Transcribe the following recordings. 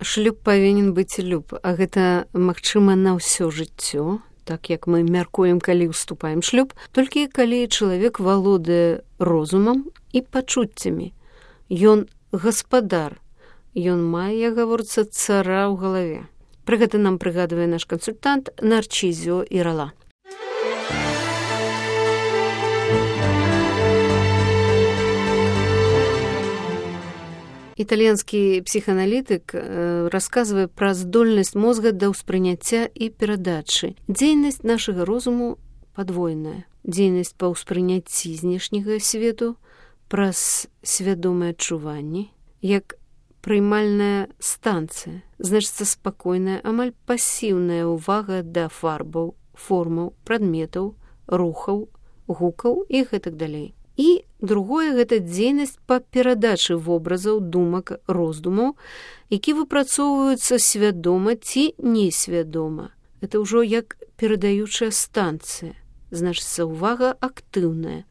шлюб павінен быць люб, а гэта магчыма на ўсё жыццё, так як мы мяркуем, калі ўступаем шлюб, толькі калі чалавек валодае розумам і пачуццямі. Ён гаспадар, ён мае, як гаворыцца, цара ў галаве. Пра гэта нам прыгадвае наш кансультант Нарчізіо Ірала. Італьянскі псіхааналітык расказвае пра здольнасць мозга да ўспрыняцця і перадачы. Дзейнасць нашага розуму падвойная. Дзейнасць па ўспрыняцці знешняга свету праз свядомыя адчуванні, як прыймальная станцыя, значыцца спакойная, амаль пасіўная ўвага да фарбаў, формаў, прадметаў, рухаў, гукаў і гэтак далей. І другое, гэта дзейнасць па перадачы вобразаў, думак, роздумаў, які выпрацоўваюцца свядома ці несвядома. Гэта ўжо як перадаючая станцыя, значыцца ўвага актыўная,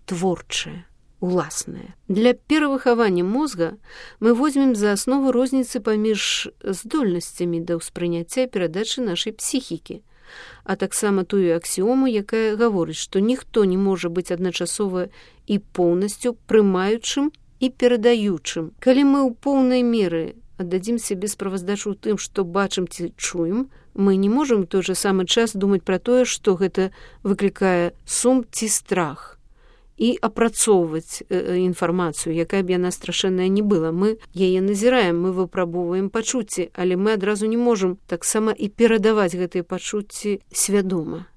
творчая, уласная. Для перавыхавання мозга мы возьмем за аснову розніцы паміж здольнасцямі да ўспрыняцця і перадачы нашай псіхікі, а таксама тую аксіому, якая гаворыць, што ніхто не можа быць адначасова і поўнасцю прымаючым і перадаючым. Калі мы ў поўнай меры аддадзім сябе справаздачу ў тым, што бачым ці чуем, мы не можам у той жа самы час думаць пра тое, што гэта выклікае сум ці страх, і апрацоўваць інфармацыю, якая б яна страшэнная не была. Мы яе назіраем, мы выпрабоўваем пачуцці, але мы адразу не можам таксама і перадаваць гэтыя пачуцці свядома.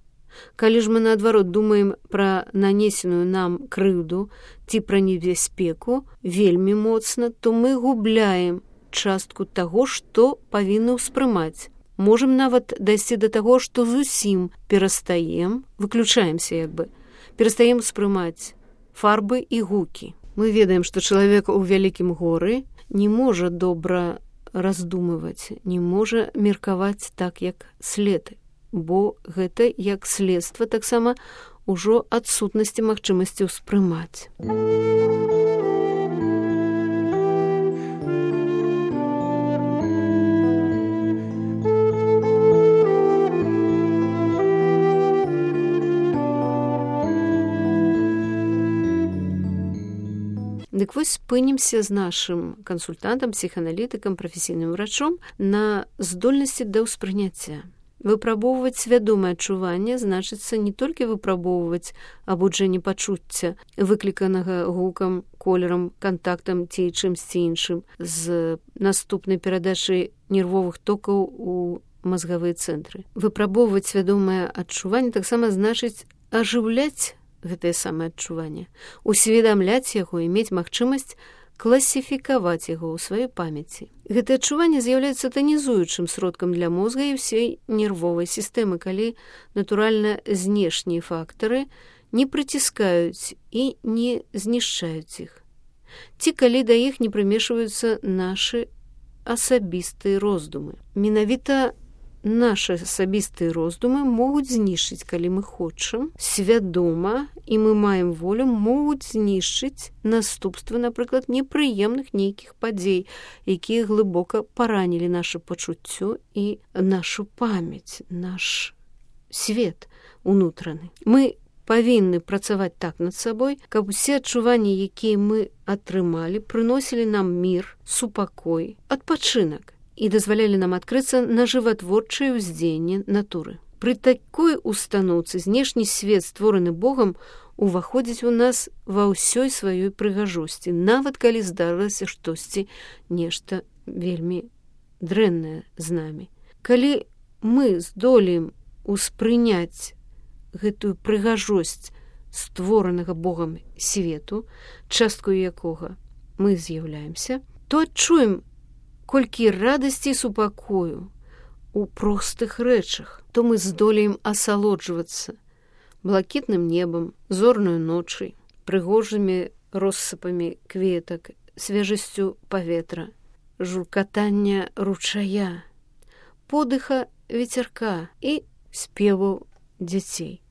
Калі ж мы, наадварот, думаем пра нанесеную нам крыўду ці пра небяспеку вельмі моцна, то мы губляем частку таго, што павінны ўспрымаць. Можам нават дайсці да таго, што зусім перастаем, выключаемся як бы, перастаем успрымаць фарбы і гукі. Мы ведаем, што чалавек у вялікім горы не можа добра раздумываць, не можа меркаваць так, як след, бо гэта як следства таксама ўжо адсутнасці магчымасці ўспрымаць. Дык вось спынімся з нашым кансультантам, псіхааналітыкам, прафесійным врачом на здольнасці да ўспрыняцця. Выпрабоўваць свядомае адчуванне значыцца не толькі выпрабоўваць абуджэнне пачуцця, выкліканага гукам, колерам, кантактам ці чымсьці іншым з наступнай перадачай нервовых токаў у мазгавыя цэнтры. Выпрабоўваць свядомае адчуванне таксама значыць ажыўляць гэтае самае адчуванне, усведамляць яго і мець магчымасць класіфікаваць яго ў сваёй памяці. Гэтае адчуванне з'яўляецца танізуючым сродкам для мозга і ўсёй нервовай сістэмы, калі, натуральна, знешнія фактары не прыціскаюць і не знішчаюць іх. Ці калі да іх не прымешваюцца нашы асабістыя роздумы. Менавіта нашы асабістыя роздумы могуць знішчыць, калі мы хочам, свядома, і мы маем волю, могуць знішчыць наступствы, напрыклад, непрыемных нейкіх падзей, якія глыбока паранілі нашу пачуццё і нашу памяць, наш свет унутраны. Мы павінны працаваць так над сабой, каб усе адчуванні, якія мы атрымалі, прыносілі нам мір, супакой, адпачынак і дазвалялі нам адкрыцца на жыватворчае ўздзеянне натуры. Пры такой устаноўцы знешні свет, створаны Богам, уваходзіць у нас ва ўсёй сваёй прыгажосці, нават калі здарылася штосьці, нешта вельмі дрэннае з намі. Калі мы здолеем успрыняць гэтую прыгажосць створанага Богам свету, часткаю якога мы з'яўляемся, то адчуем колькі радасці і супакою у простых рэчах, то мы здолеем асалоджвацца блакітным небам, зорнаю ночай, прыгожымі россыпамі кветак, свежасцю паветра, журкатання ручая, подыха ветерка і спеву дзяцей.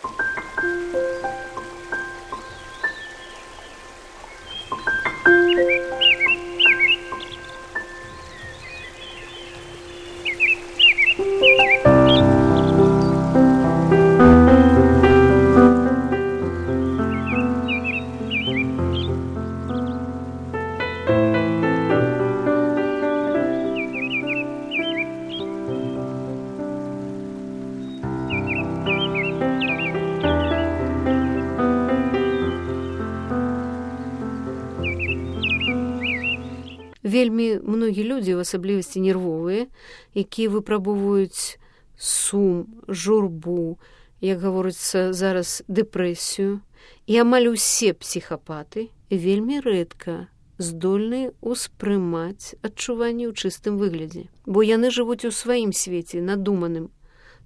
Вельмі многія людзі, у асаблівасці нервовыя, якія выпрабоўваюць сум, журбу, як гаворыцца зараз, дэпрэсію, і амаль усе псіхапаты вельмі рэдка здольныя ўспрымаць адчуванні ў чыстым выглядзе, бо яны жывуць у сваім свеце, надуманым,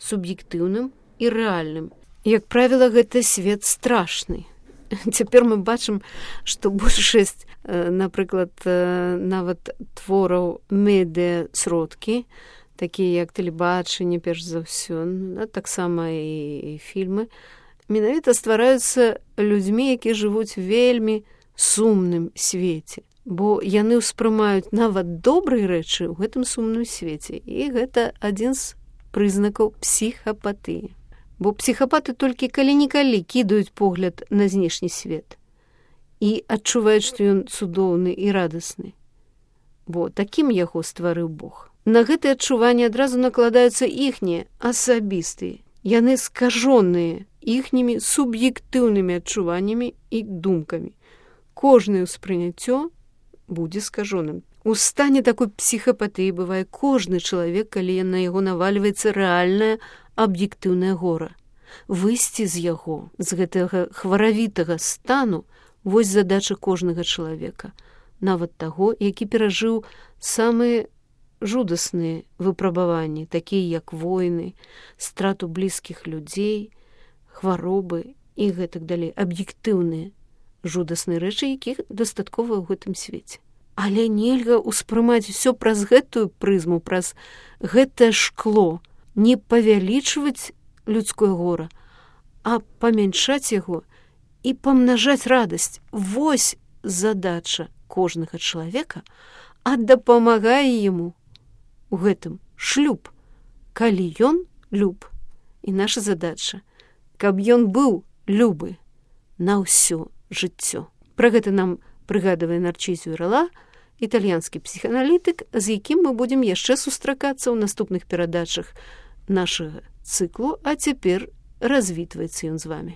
суб'ектыўным і рэальным. Як правіла, гэта свет страшны. Цяпер мы бачым, што большасць, напрыклад, нават твораў медыасродкі, такія як тэлебачанне, перш за ўсё, таксама і фільмы, менавіта ствараюцца людзьмі, якія жывуць вельмі сумным свеце, бо яны ўспрымаюць нават добрыя рэчы ў гэтым сумным свеце, і гэта адзін з прызнакаў псіхапатыі. Бо псіхапаты толькі калі-нікалі кідаюць погляд на знешні свет і адчуваюць, што ён цудоўны і радасны, бо такім яго стварыў Бог. На гэтыя адчуванні адразу накладаюцца іхнія асабістыя, яны скажоныя іхнімі суб'ектыўнымі адчуваннямі і думкамі. Кожнае ўспрыняццё будзе скажоным. У стане такой псіхапатыі бывае кожны чалавек, калі на яго навальваецца рэальнае аб'ектыўнае гора. Выйсці з яго, з гэтага хваравітага стану, вось задача кожнага чалавека, нават таго, які перажыў самыя жудасныя выпрабаванні, такія як войны, страту блізкіх людзей, хваробы і гэтак далей, аб'ектыўныя жудасныя рэчы, якіх дастаткова ў гэтым свеце. Але нельга ўспрымаць усё праз гэтую прызму, праз гэтае шкло, не павялічваць людское гора, а памяншаць яго і памнажаць радасць. Вось задача кожнага чалавека, а дапамагае яму у гэтым шлюб, калі ён люб. І наша задача, каб ён быў любы на ўсё жыццё. Пра гэта нам прыгадвае Нарцісіо Рэлла, італьянскі псіханалітык, з якім мы будзем яшчэ сустракацца ў наступных перадачах нашага цыклу, а цяпер развітваецца ён з вамі.